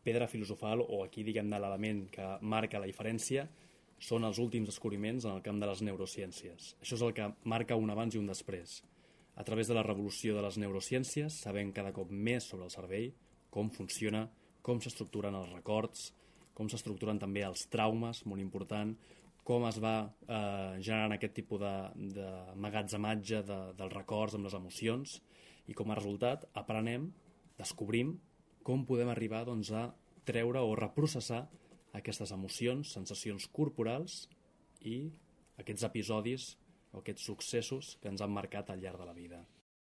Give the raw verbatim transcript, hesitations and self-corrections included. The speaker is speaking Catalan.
pedra filosofal, o aquí diguem-ne l'element que marca la diferència, són els últims descobriments en el camp de les neurociències. Això és el que marca un abans i un després. A través de la revolució de les neurociències sabem cada cop més sobre el cervell, com funciona, com s'estructuren els records, com s'estructuren també els traumes, molt important, com es va eh, generant aquest tipus de, de magatzematge de, dels records amb les emocions, i com a resultat aprenem, descobrim com podem arribar doncs, a treure o reprocessar aquestes emocions, sensacions corporals i aquests episodis o aquests successos que ens han marcat al llarg de la vida.